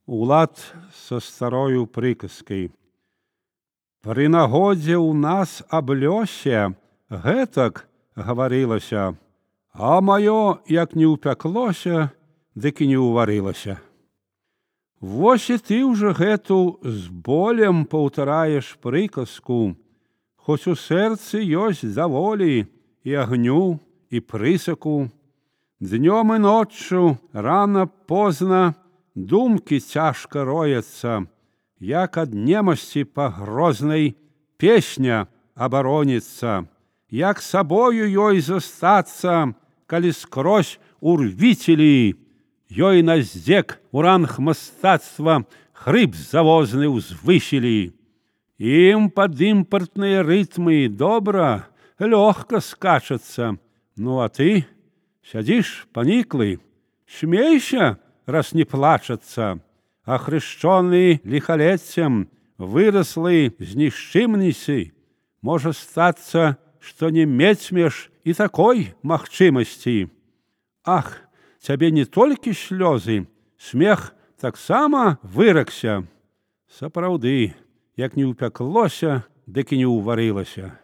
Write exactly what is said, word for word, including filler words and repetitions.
Улад са старою прыказкай. Пры нагодзе ў нас аб лёсе гэтак гаварылася, а маё як не ўпяклося, дык і не ўварылася. Вось і ты ўжо гэту з болем паўтараеш прыказку, хоць у сэрцы ёсць даволі і агню, і прысаку. Днём і ноччу, рана позна, думкі цяжка рояцца, як ад немасці пагрознай песня абароніцца, як сабою ёй застацца, калі скрозь урвіцелі, ёй на здзек у ранг мастацтва хрып завозны ўзвысілі. Ім пад імпартныя рытмы добра, лёгка скачацца. Ну а ты сядзіш паніклы, смейся, раз не плачацца, а хрышчоны ліхалеццем, выраслы з нішчымніцы, можа стацца, што не мець і такой магчымасці. Ах, цябе не толькі слёзы, смех таксама выракся. Сапраўды, як не ўпяклося, дык і не ўварылася.